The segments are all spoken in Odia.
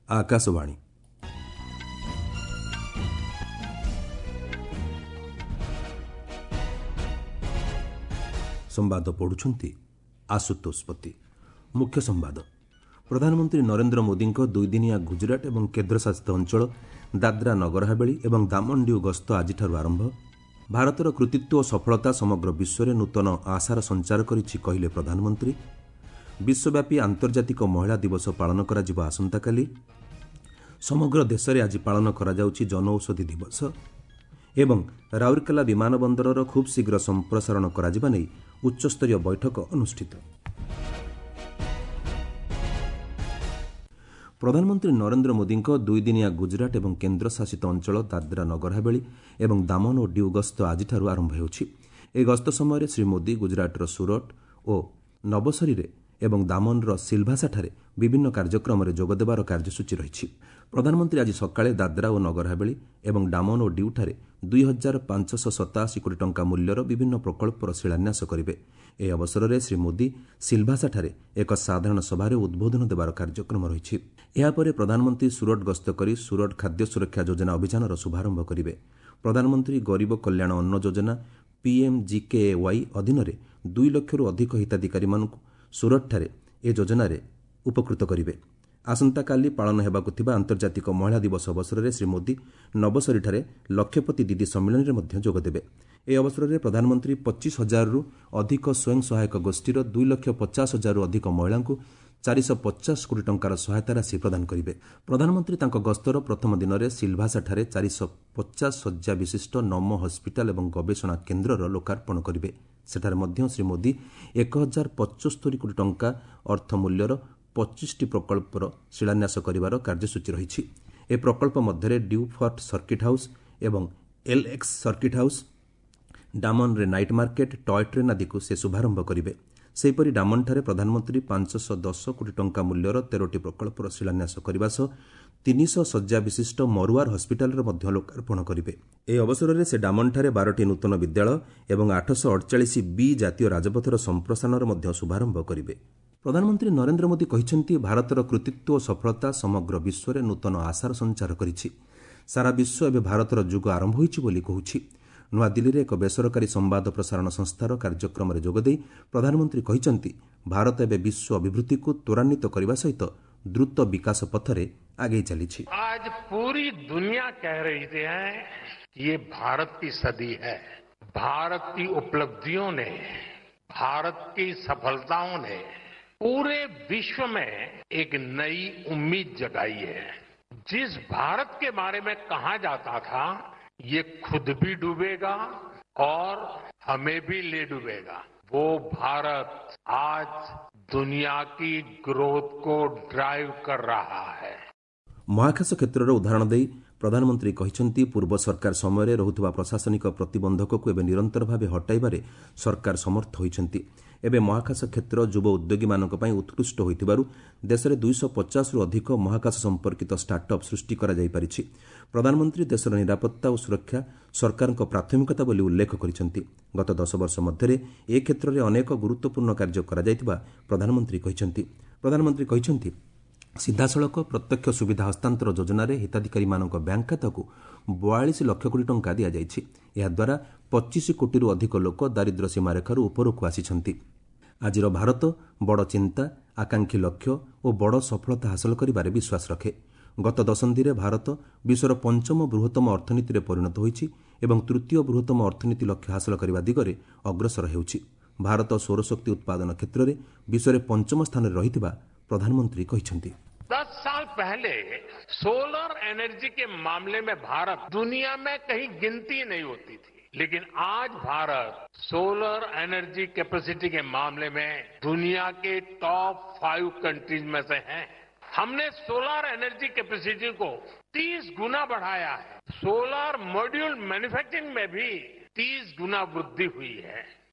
ଆକାଶବାଣୀ। ସମ୍ବାଦ ପଢ଼ୁଛନ୍ତି ଆଶୁତୋଷ ପତି। ମୁଖ୍ୟ ସମ୍ବାଦ। ପ୍ରଧାନମନ୍ତ୍ରୀ ନରେନ୍ଦ୍ର ମୋଦିଙ୍କ ଦୁଇଦିନିଆ ଗୁଜରାଟ ଏବଂ କେନ୍ଦ୍ରଶାସିତ ଅଞ୍ଚଳ ଦାଦ୍ରା ନଗର ହାବେଳି ଏବଂ ଦାମନ ଡିଉ ଗସ୍ତ ଆଜିଠାରୁ ଆରମ୍ଭ। ଭାରତର କୃତିତ୍ୱ ଓ ସଫଳତା ସମଗ୍ର ବିଶ୍ୱରେ ନୂତନ ଆଶାର ସଞ୍ଚାର କରିଛି, କହିଲେ ପ୍ରଧାନମନ୍ତ୍ରୀ। ବିଶ୍ୱବ୍ୟାପୀ ଆନ୍ତର୍ଜାତିକ ମହିଳା ଦିବସ ପାଳନ କରାଯିବ ଆସନ୍ତାକାଲି। ସମଗ୍ର ଦେଶରେ ଆଜି ପାଳନ କରାଯାଉଛି ଜନଔଷଧି ଦିବସ। ଏବଂ ରାଉରକେଲା ବିମାନ ବନ୍ଦରର ଖୁବ୍ ଶୀଘ୍ର ସମ୍ପ୍ରସାରଣ କରାଯିବା ନେଇ ଉଚ୍ଚସ୍ତରୀୟ ବୈଠକ ଅନୁଷ୍ଠିତ। ପ୍ରଧାନମନ୍ତ୍ରୀ ନରେନ୍ଦ୍ର ମୋଦିଙ୍କ ଦୁଇଦିନିଆ ଗୁଜରାଟ ଏବଂ କେନ୍ଦ୍ରଶାସିତ ଅଞ୍ଚଳ ଦାଦ୍ରା ନଗର ହାବେଳି ଏବଂ ଦାମନ ଓ ଡିଉ ଗସ୍ତ ଆଜିଠାରୁ ଆରମ୍ଭ ହେଉଛି। ଏହି ଗସ୍ତ ସମୟରେ ଶ୍ରୀ ମୋଦି ଗୁଜରାଟର ସୁରଟ ଓ ନବସରୀରେ ଏବଂ ଦାମନର ସିଲଭାସାଠାରେ ବିଭିନ୍ନ କାର୍ଯ୍ୟକ୍ରମରେ ଯୋଗଦେବାର କାର୍ଯ୍ୟସୂଚୀ ରହିଛି। ପ୍ରଧାନମନ୍ତ୍ରୀ ଆଜି ସକାଳେ ଦାଦ୍ରା ଓ ନଗର ହାବେଳି ଏବଂ ଡାମନ ଓ ଡିଉଠାରେ 2587 କୋଟି ଟଙ୍କା ମୂଲ୍ୟର ବିଭିନ୍ନ ପ୍ରକଳ୍ପର ଶିଳାନ୍ୟାସ କରିବେ। ଏହି ଅବସରରେ ଶ୍ରୀ ମୋଦି ସିଲଭାସାଠାରେ ଏକ ସାଧାରଣ ସଭାରେ ଉଦ୍ବୋଧନ ଦେବାର କାର୍ଯ୍ୟକ୍ରମ ରହିଛି। ଏହାପରେ ପ୍ରଧାନମନ୍ତ୍ରୀ ସୁରଟ ଗସ୍ତ କରି ସୁରଟ ଖାଦ୍ୟ ସୁରକ୍ଷା ଯୋଜନା ଅଭିଯାନର ଶୁଭାରମ୍ଭ କରିବେ। ପ୍ରଧାନମନ୍ତ୍ରୀ ଗରିବ କଲ୍ୟାଣ ଅନ୍ନ ଯୋଜନା ପିଏମ୍ଜିକେଏୱାଇ ଅଧୀନରେ 2 ଲକ୍ଷରୁ ଅଧିକ ହିତାଧିକାରୀମାନଙ୍କୁ ସୁରଟଠାରେ ଏ ଯୋଜନାରେ ଉପକୃତ କରିବେ। ଆସନ୍ତାକାଲି ପାଳନ ହେବାକୁ ଥିବା ଆନ୍ତର୍ଜାତିକ ମହିଳା ଦିବସ ଅବସରରେ ଶ୍ରୀ ମୋଦି ନବସରୀଠାରେ ଲକ୍ଷପତି ଦିଦି ସମ୍ମିଳନୀରେ ମଧ୍ୟ ଯୋଗଦେବେ। ଏହି ଅବସରରେ ପ୍ରଧାନମନ୍ତ୍ରୀ 25 ହଜାରରୁ ଅଧିକ ସ୍ୱୟଂ ସହାୟକ ଗୋଷ୍ଠୀର 2 ଲକ୍ଷ 50 ହଜାରରୁ ଅଧିକ ମହିଳାଙ୍କୁ 450 କୋଟି ଟଙ୍କାର ସହାୟତା ରାଶି ପ୍ରଦାନ କରିବେ। ପ୍ରଧାନମନ୍ତ୍ରୀ ତାଙ୍କ ଗସ୍ତର ପ୍ରଥମ ଦିନରେ ସିଲଭାସାଠାରେ 450 ଶଯ୍ୟା ବିଶିଷ୍ଟ ନମୋ ହସ୍ପିଟାଲ ଏବଂ ଗବେଷଣା କେନ୍ଦ୍ରର ଲୋକାର୍ପଣ କରିବେ। ସେଠାରେ ମଧ୍ୟ ଶ୍ରୀ ମୋଦି 1075 କୋଟି ଟଙ୍କା ଅର୍ଥ ମୂଲ୍ୟର 25ଟି ପ୍ରକଳ୍ପର ଶିଳାନ୍ୟାସ କରିବାର କାର୍ଯ୍ୟସୂଚୀ ରହିଛି। ଏ ପ୍ରକଳ୍ପ ମଧ୍ୟରେ ଡ୍ୟୁ ଫର୍ଟ ସର୍କିଟ୍ ହାଉସ୍ ଏବଂ ଏଲ୍ଏକ୍ସ ସର୍କିଟ୍ ହାଉସ୍, ଡାମନରେ ନାଇଟ୍ ମାର୍କେଟ୍, ଟୟ ଟ୍ରେନ୍ ଆଦିକୁ ସେ ଶୁଭାରମ୍ଭ କରିବେ। ସେହିପରି ଡାମନଠାରେ ପ୍ରଧାନମନ୍ତ୍ରୀ 510 କୋଟି ଟଙ୍କା ମୂଲ୍ୟର 13ଟି ପ୍ରକଳ୍ପର ଶିଳାନ୍ୟାସ କରିବା ସହ 300 ଶଯ୍ୟା ବିଶିଷ୍ଟ ମରୁଆର ହସ୍ପିଟାଲର ମଧ୍ୟ ଲୋକାର୍ପଣ କରିବେ। ଏହି ଅବସରରେ ସେ ଡାମନଠାରେ 12ଟି ନୂତନ ବିଦ୍ୟାଳୟ ଏବଂ 848 ବି ଜାତୀୟ ରାଜପଥର ସମ୍ପ୍ରସାରଣର ମଧ୍ୟ ଶୁଭାରମ୍ଭ କରିବେ। ପ୍ରଧାନମନ୍ତ୍ରୀ ନରେନ୍ଦ୍ର ମୋଦି କହିଛନ୍ତି, ଭାରତର କୃତିତ୍ୱ ଓ ସଫଳତା ସମଗ୍ର ବିଶ୍ୱରେ ନୂତନ ଆଶାର ସଞ୍ଚାର କରିଛି। ସାରା ବିଶ୍ୱ ଏବେ ଭାରତର ଯୁଗ ଆରମ୍ଭ ହୋଇଛି ବୋଲି କହୁଛି। ନୂଆଦିଲ୍ଲୀରେ ଏକ ବେସରକାରୀ ସମ୍ବାଦ ପ୍ରସାରଣ ସଂସ୍ଥାର କାର୍ଯ୍ୟକ୍ରମରେ ଯୋଗଦେଇ ପ୍ରଧାନମନ୍ତ୍ରୀ କହିଛନ୍ତି, ଭାରତ ଏବେ ବିଶ୍ୱ ଅଭିବୃଦ୍ଧିକୁ ତ୍ୱରାନ୍ୱିତ କରିବା ସହିତ ଦ୍ରୁତ ବିକାଶ ପଥରେ ଆଗେଇ ଚାଲିଛି। आज पूरी दुनिया कह रही है कि ये भारत की सदी है। भारत की उपलब्धियों ने, भारत की सफलताओं ने पूरे विश्व में एक नई उम्मीद जगाई है। जिस भारत के बारे में कहा जाता था ये खुद भी डूबेगा और हमें भी ले डूबेगा, वो भारत आज दुनिया की ग्रोथ को ड्राइव कर रहा है। ମହାକାଶ କ୍ଷେତ୍ରର ଉଦାହରଣ ଦେଇ ପ୍ରଧାନମନ୍ତ୍ରୀ କହିଛନ୍ତି, ପୂର୍ବ ସରକାର ସମୟରେ ରହୁଥିବା ପ୍ରଶାସନିକ ପ୍ରତିବନ୍ଧକକୁ ଏବେ ନିରନ୍ତର ଭାବେ ହଟାଇବାରେ ସରକାର ସମର୍ଥ ହୋଇଛନ୍ତି। ଏବେ ମହାକାଶ କ୍ଷେତ୍ର ଯୁବ ଉଦ୍ୟୋଗୀମାନଙ୍କ ପାଇଁ ଉତ୍କୃଷ୍ଟ ହୋଇଥିବାରୁ ଦେଶରେ 250ରୁ ଅଧିକ ମହାକାଶ ସମ୍ପର୍କିତ ଷ୍ଟାର୍ଟଅପ୍ ସୃଷ୍ଟି କରାଯାଇପାରିଛି। ପ୍ରଧାନମନ୍ତ୍ରୀ ଦେଶର ନିରାପତ୍ତା ଓ ସୁରକ୍ଷା ସରକାରଙ୍କ ପ୍ରାଥମିକତା ବୋଲି ଉଲ୍ଲେଖ କରିଛନ୍ତି। ଗତ 10 ବର୍ଷ ମଧ୍ୟରେ ଏ କ୍ଷେତ୍ରରେ ଅନେକ ଗୁରୁତ୍ୱପୂର୍ଣ୍ଣ କାର୍ଯ୍ୟ କରାଯାଇଥିବା ପ୍ରଧାନମନ୍ତ୍ରୀ କହିଛନ୍ତି। ପ୍ରଧାନମନ୍ତ୍ରୀ କହିଛନ୍ତି, ସିଧାସଳଖ ପ୍ରତ୍ୟକ୍ଷ ସୁବିଧା ହସ୍ତାନ୍ତର ଯୋଜନାରେ ହିତାଧିକାରୀମାନଙ୍କ ବ୍ୟାଙ୍କ ଖାତାକୁ 42 ଲକ୍ଷ କୋଟି ଟଙ୍କା ଦିଆଯାଇଛି। ଏହାଦ୍ୱାରା 25 କୋଟିରୁ ଅଧିକ ଲୋକ ଦାରିଦ୍ର୍ୟ ସୀମାରେଖାରୁ ଉପରକୁ ଆସିଛନ୍ତି। ଆଜିର ଭାରତ ବଡ଼ ଚିନ୍ତା, ଆକାଂକ୍ଷୀ ଲକ୍ଷ୍ୟ ଓ ବଡ଼ ସଫଳତା ହାସଲ କରିବାରେ ବିଶ୍ୱାସ ରଖେ। ଗତ ଦଶନ୍ଧିରେ ଭାରତ ବିଶ୍ୱର ପଞ୍ଚମ ବୃହତ୍ତମ ଅର୍ଥନୀତିରେ ପରିଣତ ହୋଇଛି ଏବଂ ତୃତୀୟ ବୃହତ୍ତମ ଅର୍ଥନୀତି ଲକ୍ଷ୍ୟ ହାସଲ କରିବା ଦିଗରେ ଅଗ୍ରସର ହେଉଛି। ଭାରତ ସୌରଶକ୍ତି ଉତ୍ପାଦନ କ୍ଷେତ୍ରରେ ବିଶ୍ୱରେ ପଞ୍ଚମ ସ୍ଥାନରେ ରହିଥିବା ପ୍ରଧାନମନ୍ତ୍ରୀ କହିଛନ୍ତି। 10 साल पहले सोलर एनर्जी के मामले में भारत दुनिया में कहीं गिनती नहीं होती थी, लेकिन आज भारत सोलर एनर्जी कैपेसिटी के मामले में दुनिया के टॉप 5 कंट्रीज में से है। हमने सोलर एनर्जी कैपेसिटी को 30 गुना बढ़ाया है। सोलर मॉड्यूल मैन्युफैक्चरिंग में भी 30 गुना वृद्धि हुई है।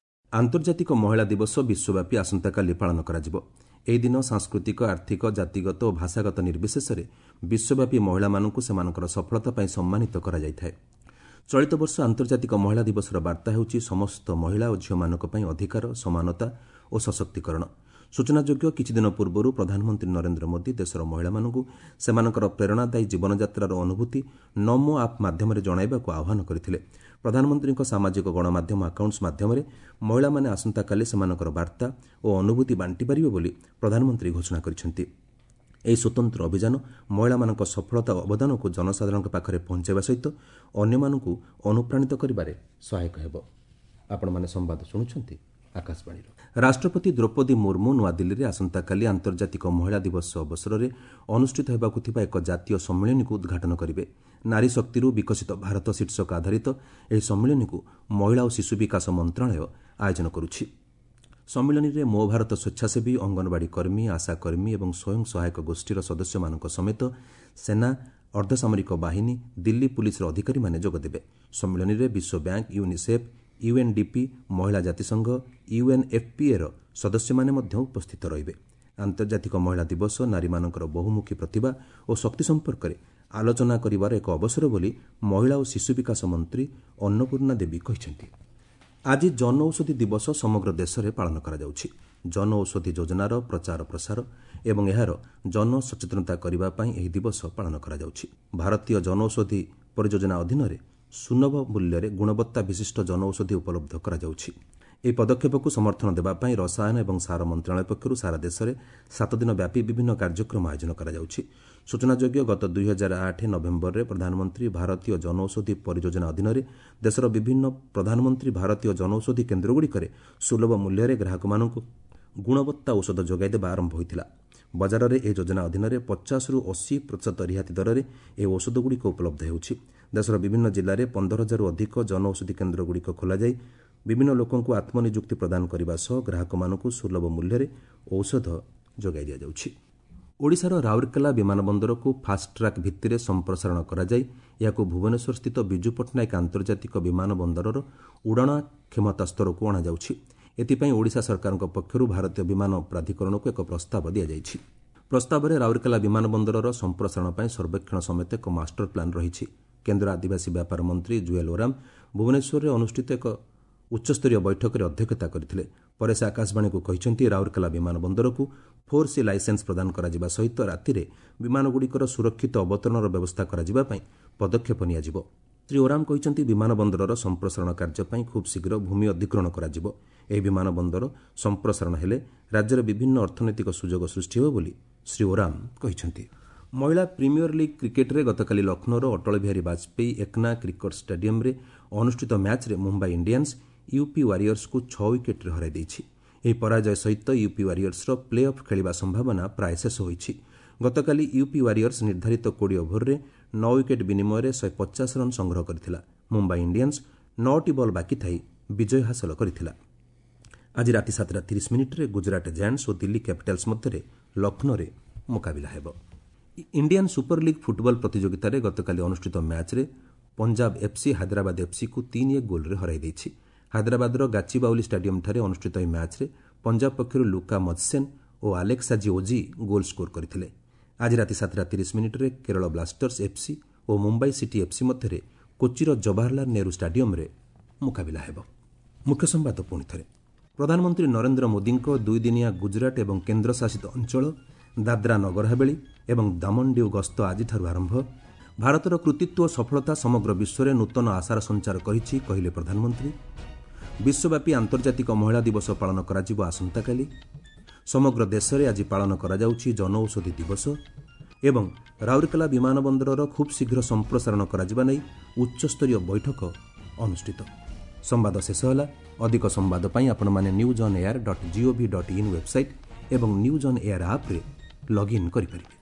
ଆନ୍ତର୍ଜାତିକ ମହିଳା ଦିବସ ବିଶ୍ୱବ୍ୟାପୀ ଆସନ୍ତାକାଲି ପାଳନ କରାଯିବ। ଏହି ଦିନ ସାଂସ୍କୃତିକ, ଆର୍ଥିକ, ଜାତିଗତ ଓ ଭାଷାଗତ ନିର୍ବିଶେଷରେ ବିଶ୍ୱବ୍ୟାପୀ ମହିଳାମାନଙ୍କୁ ସେମାନଙ୍କର ସଫଳତା ପାଇଁ ସମ୍ମାନିତ କରାଯାଇଥାଏ। ଚଳିତ ବର୍ଷ ଆନ୍ତର୍ଜାତିକ ମହିଳା ଦିବସର ବାର୍ତ୍ତା ହେଉଛି ସମସ୍ତ ମହିଳା ଓ ଝିଅମାନଙ୍କ ପାଇଁ ଅଧିକାର, ସମାନତା ଓ ସଶକ୍ତିକରଣ। ସୂଚନାଯୋଗ୍ୟ, କିଛିଦିନ ପୂର୍ବରୁ ପ୍ରଧାନମନ୍ତ୍ରୀ ନରେନ୍ଦ୍ର ମୋଦି ଦେଶର ମହିଳାମାନଙ୍କୁ ସେମାନଙ୍କର ପ୍ରେରଣାଦାୟୀ ଜୀବନଯାତ୍ରାର ଅନୁଭୂତି ନମୋ ଆପ୍ ମାଧ୍ୟମରେ ଜଣାଇବାକୁ ଆହ୍ୱାନ କରିଥିଲେ। ପ୍ରଧାନମନ୍ତ୍ରୀଙ୍କ ସାମାଜିକ ଗଣମାଧ୍ୟମ ଆକାଉଣ୍ଟସ୍ ମାଧ୍ୟମରେ ମହିଳାମାନେ ଆସନ୍ତାକାଲି ସେମାନଙ୍କର ବାର୍ତ୍ତା ଓ ଅନୁଭୂତି ବାଣ୍ଟିପାରିବେ ବୋଲି ପ୍ରଧାନମନ୍ତ୍ରୀ ଘୋଷଣା କରିଛନ୍ତି। ଏହି ସ୍ୱତନ୍ତ୍ର ଅଭିଯାନ ମହିଳାମାନଙ୍କ ସଫଳତା ଓ ଅବଦାନକୁ ଜନସାଧାରଣଙ୍କ ପାଖରେ ପହଞ୍ଚାଇବା ସହିତ ଅନ୍ୟମାନଙ୍କୁ ଅନୁପ୍ରାଣିତ କରିବାରେ ସହାୟକ ହେବ। ଆପଣମାନେ ସମ୍ବାଦ ଶୁଣୁଛନ୍ତି ଆକାଶବାଣୀରୁ। ରାଷ୍ଟ୍ରପତି ଦ୍ରୌପଦୀ ମୁର୍ମୁ ନୂଆଦିଲ୍ଲୀରେ ଆସନ୍ତାକାଲି ଆନ୍ତର୍ଜାତିକ ମହିଳା ଦିବସ ଅବସରରେ ଅନୁଷ୍ଠିତ ହେବାକୁ ଥିବା ଏକ ଜାତୀୟ ସମ୍ମିଳନୀକୁ ଉଦ୍ଘାଟନ କରିବେ। ନାରୀ ଶକ୍ତିରୁ ବିକଶିତ ଭାରତ ଶୀର୍ଷକ ଆଧାରିତ ଏହି ସମ୍ମିଳନୀକୁ ମହିଳା ଓ ଶିଶୁ ବିକାଶ ମନ୍ତ୍ରଣାଳୟ ଆୟୋଜନ କରୁଛି। ସମ୍ମିଳନୀରେ ମୋ ଭାରତ ସ୍ୱେଚ୍ଛାସେବୀ, ଅଙ୍ଗନବାଡ଼ି କର୍ମୀ, ଆଶାକର୍ମୀ ଏବଂ ସ୍ୱୟଂ ସହାୟକ ଗୋଷ୍ଠୀର ସଦସ୍ୟମାନଙ୍କ ସମେତ ସେନା, ଅର୍ଦ୍ଧସାମରିକ ବାହିନୀ, ଦିଲ୍ଲୀ ପୁଲିସର ଅଧିକାରୀମାନେ ଯୋଗଦେବେ। ସମ୍ମିଳନୀରେ ବିଶ୍ୱ ବ୍ୟାଙ୍କ, ୟୁନିସେଫ୍, ୟୁଏନ୍ଡିପି, ମହିଳା ଜାତିସଂଘ, ୟୁଏନ୍ଏଫ୍ପିଏର ସଦସ୍ୟମାନେ ମଧ୍ୟ ଉପସ୍ଥିତ ରହିବେ। ଆନ୍ତର୍ଜାତିକ ମହିଳା ଦିବସ ନାରୀମାନଙ୍କର ବହୁମୁଖୀ ପ୍ରତିଭା ଓ ଶକ୍ତି ସମ୍ପର୍କରେ ଆଲୋଚନା କରିବାର ଏକ ଅବସର ବୋଲି ମହିଳା ଓ ଶିଶୁ ବିକାଶ ମନ୍ତ୍ରୀ ଅନ୍ନପୂର୍ଣ୍ଣା ଦେବୀ କହିଛନ୍ତି। ଆଜି ଜନଔଷଧି ଦିବସ ସମଗ୍ର ଦେଶରେ ପାଳନ କରାଯାଉଛି। ଜନଔଷଧି ଯୋଜନାର ପ୍ରଚାର ପ୍ରସାର ଏବଂ ଏହାର ଜନସଚେତନତା କରିବା ପାଇଁ ଏହି ଦିବସ ପାଳନ କରାଯାଉଛି। ଭାରତୀୟ ଜନଔଷଧି ପରିଯୋଜନା ଅଧୀନରେ ସୁଲଭ ମୂଲ୍ୟରେ ଗୁଣବତ୍ତା ବିଶିଷ୍ଟ ଜନଔଷଧି ଉପଲବ୍ଧ କରାଯାଉଛି। ଏହି ପଦକ୍ଷେପକୁ ସମର୍ଥନ ଦେବା ପାଇଁ ରସାୟନ ଏବଂ ସାର ମନ୍ତ୍ରଣାଳୟ ପକ୍ଷରୁ ସାରା ଦେଶରେ 7 ଦିନ ବ୍ୟାପୀ ବିଭିନ୍ନ କାର୍ଯ୍ୟକ୍ରମ ଆୟୋଜନ କରାଯାଉଛି। ସୂଚନାଯୋଗ୍ୟ, ଗତ 2008 ନଭେମ୍ବରରେ ପ୍ରଧାନମନ୍ତ୍ରୀ ଭାରତୀୟ ଜନଔଷଧି ପରିଯୋଜନା ଅଧୀନରେ ଦେଶର ବିଭିନ୍ନ ପ୍ରଧାନମନ୍ତ୍ରୀ ଭାରତୀୟ ଜନଔଷଧି କେନ୍ଦ୍ରଗୁଡ଼ିକରେ ସୁଲଭ ମୂଲ୍ୟରେ ଗ୍ରାହକମାନଙ୍କୁ ଗୁଣବତ୍ତା ଔଷଧ ଯୋଗାଇ ଦେବା ଆରମ୍ଭ ହୋଇଥିଲା। ବଜାରରେ ଏହି ଯୋଜନା ଅଧୀନରେ 50ରୁ 80% ରିହାତି ଦରରେ ଏହି ଔଷଧଗୁଡ଼ିକ ଉପଲବ୍ଧ ହେଉଛି। ଦେଶର ବିଭିନ୍ନ ଜିଲ୍ଲାରେ 15 ହଜାରରୁ ଅଧିକ ଜନଔଷଧି କେନ୍ଦ୍ରଗୁଡ଼ିକ ଖୋଲାଯାଇ ବିଭିନ୍ନ ଲୋକଙ୍କୁ ଆତ୍ମନିଯୁକ୍ତି ପ୍ରଦାନ କରିବା ସହ ଗ୍ରାହକମାନଙ୍କୁ ସୁଲଭ ମୂଲ୍ୟରେ ଔଷଧ ଯୋଗାଇ ଦିଆଯାଉଛି। ଓଡ଼ିଶାର ରାଉରକେଲା ବିମାନ ବନ୍ଦରକୁ ଫାଷ୍ଟଟ୍ରାକ୍ ଭିତ୍ତିରେ ସମ୍ପ୍ରସାରଣ କରାଯାଇ ଏହାକୁ ଭୁବନେଶ୍ୱରସ୍ଥିତ ବିଜୁ ପଟ୍ଟନାୟକ ଆନ୍ତର୍ଜାତିକ ବିମାନ ବନ୍ଦରର ଉଡ଼ାଣ କ୍ଷମତା ସ୍ତରକୁ ଅଣାଯାଉଛି। ଏଥିପାଇଁ ଓଡ଼ିଶା ସରକାରଙ୍କ ପକ୍ଷରୁ ଭାରତୀୟ ବିମାନ ପ୍ରାଧିକରଣକୁ ଏକ ପ୍ରସ୍ତାବ ଦିଆଯାଇଛି। ପ୍ରସ୍ତାବରେ ରାଉରକେଲା ବିମାନ ବନ୍ଦରର ସମ୍ପ୍ରସାରଣ ପାଇଁ ସର୍ବେକ୍ଷଣ ସମେତ ଏକ ମାଷ୍ଟର ପ୍ଲାନ୍ ରହିଛି। କେନ୍ଦ୍ର ଆଦିବାସୀ ବ୍ୟାପାର ମନ୍ତ୍ରୀ ଜୁଏଲ୍ ଓରାମ ଭୁବନେଶ୍ୱରରେ ଅନୁଷ୍ଠିତ ଏକ ଉଚ୍ଚସ୍ତରୀୟ ବୈଠକରେ ଅଧ୍ୟକ୍ଷତା କରିଥିଲେ। ପରେ ସେ ଆକାଶବାଣୀକୁ କହିଛନ୍ତି, ରାଉରକେଲା ବିମାନ ବନ୍ଦରକୁ 4C licence ପ୍ରଦାନ କରାଯିବା ସହିତ ରାତିରେ ବିମାନଗୁଡ଼ିକର ସୁରକ୍ଷିତ ଅବତରଣର ବ୍ୟବସ୍ଥା କରାଯିବା ପାଇଁ ପଦକ୍ଷେପ ନିଆଯିବ। ଶ୍ରୀ ଓରାମ କହିଛନ୍ତି, ବିମାନ ବନ୍ଦରର ସମ୍ପ୍ରସାରଣ କାର୍ଯ୍ୟ ପାଇଁ ଖୁବ୍ ଶୀଘ୍ର ଭୂମି ଅଧିଗ୍ରହଣ କରାଯିବ। ଏହି ବିମାନ ବନ୍ଦର ସମ୍ପ୍ରସାରଣ ହେଲେ ରାଜ୍ୟରେ ବିଭିନ୍ନ ଅର୍ଥନୈତିକ ସୁଯୋଗ ସୃଷ୍ଟି ହେବ ବୋଲି ଶ୍ରୀ ଓରାମ କହିଛନ୍ତି। ମହିଳା ପ୍ରିମିୟର ଲିଗ୍ କ୍ରିକେଟ୍ରେ ଗତକାଲି ଲକ୍ଷ୍ନୌର ଅଟଳ ବିହାରୀ ବାଜପେୟୀ ଏକ୍ନା କ୍ରିକେଟ୍ ଷ୍ଟାଡିୟମ୍ରେ ଅନୁଷ୍ଠିତ ମ୍ୟାଚ୍ରେ ମୁମ୍ବାଇ ଇଣ୍ଡିଆନ୍ସ ୟୁପି ୱାରିୟର୍ସକୁ 6 ୱିକେଟ୍ରେ ହରାଇ ଦେଇଛି। ଏହି ପରାଜୟ ସହିତ ୟୁପି ୱାରିୟର୍ସର ପ୍ଲେ ଅଫ୍ ଖେଳିବା ସମ୍ଭାବନା ପ୍ରାୟ ଶେଷ ହୋଇଛି। ଗତକାଲି ୟୁପି ୱାରିୟର୍ସ ନିର୍ଦ୍ଧାରିତ 20 ଓଭରରେ 9 ୱିକେଟ୍ ବିନିମୟରେ 150 ରନ୍ ସଂଗ୍ରହ କରିଥିଲା। ମୁମ୍ବାଇ ଇଣ୍ଡିଆନ୍ସ 9ଟି ବଲ୍ ବାକି ଥାଇ ବିଜୟ ହାସଲ କରିଥିଲା। ଆଜି ରାତି 7ଟା 30 ମିନିଟ୍ରେ ଗୁଜରାଟ ଜାଏଣ୍ଟସ୍ ଓ ଦିଲ୍ଲୀ କ୍ୟାପିଟାଲ୍ସ ମଧ୍ୟରେ ଲକ୍ଷ୍ନୌରେ ମୁକାବିଲା ହେବ। ଇଣ୍ଡିଆନ୍ ସୁପର ଲିଗ୍ ଫୁଟବଲ ପ୍ରତିଯୋଗିତାରେ ଗତକାଲି ଅନୁଷ୍ଠିତ ମ୍ୟାଚ୍ରେ ପଞ୍ଜାବ ଏଫ୍ସି ହାଇଦ୍ରାବାଦ ଏଫ୍ସିକୁ 3-1 ଗୋଲ୍ରେ ହରାଇ ଦେଇଛି। ହାଇଦ୍ରାବାଦର ଗାଚିବାଉଲି ଷ୍ଟାଡିୟମ୍ଠାରେ ଅନୁଷ୍ଠିତ ଏହି ମ୍ୟାଚ୍ରେ ପଞ୍ଜାବ ପକ୍ଷରୁ ଲୁକା ମଜସେନ୍ ଓ ଆଲେକ୍ସାଜି ଓଜି ଗୋଲ୍ ସ୍କୋର କରିଥିଲେ। ଆଜି ରାତି 7ଟା 30 ମିନିଟ୍ରେ କେରଳ ବ୍ଲାଷ୍ଟର୍ସ ଏଫ୍ସି ଓ ମୁମ୍ବାଇ ସିଟି ଏଫ୍ସି ମଧ୍ୟରେ କୋଚିର ଜବାହରଲାଲ ନେହେରୁ ଷ୍ଟାଡିୟମ୍ରେ ମୁକାବିଲା ହେବ। ମୁଖ୍ୟ ସମ୍ବାଦ ପୁଣି ଥରେ। ପ୍ରଧାନମନ୍ତ୍ରୀ ନରେନ୍ଦ୍ର ମୋଦିଙ୍କ ଦୁଇଦିନିଆ ଗୁଜରାଟ ଏବଂ କେନ୍ଦ୍ରଶାସିତ ଅଞ୍ଚଳ ଦାଦ୍ରା ନଗର ହାବେଳି ଏବଂ ଦାମନଡିଉ ଗସ୍ତ ଆଜିଠାରୁ ଆରମ୍ଭ। ଭାରତର କୃତିତ୍ୱ ଓ ସଫଳତା ସମଗ୍ର ବିଶ୍ୱରେ ନୂତନ ଆଶାର ସଞ୍ଚାର କରିଛି, କହିଲେ ପ୍ରଧାନମନ୍ତ୍ରୀ। ବିଶ୍ୱବ୍ୟାପୀ ଆନ୍ତର୍ଜାତିକ ମହିଳା ଦିବସ ପାଳନ କରାଯିବ ଆସନ୍ତାକାଲି। ସମଗ୍ର ଦେଶରେ ଆଜି ପାଳନ କରାଯାଉଛି ଜନଔଷଧି ଦିବସ। ଏବଂ ରାଉରକେଲା ବିମାନ ବନ୍ଦରର ଖୁବ୍ ଶୀଘ୍ର ସମ୍ପ୍ରସାରଣ କରାଯିବା ନେଇ ଉଚ୍ଚସ୍ତରୀୟ ବୈଠକ ଅନୁଷ୍ଠିତ। ସମ୍ବାଦ ଶେଷ ହେଲା। ଅଧିକ ସମ୍ବାଦ ପାଇଁ ଆପଣମାନେ news on air dot gov dot in website ଏବଂ ନ୍ୟୁଜ୍ ଅନ୍ ଏୟାର ଆପ୍ରେ ଲଗ୍ଇନ୍ କରିପାରିବେ।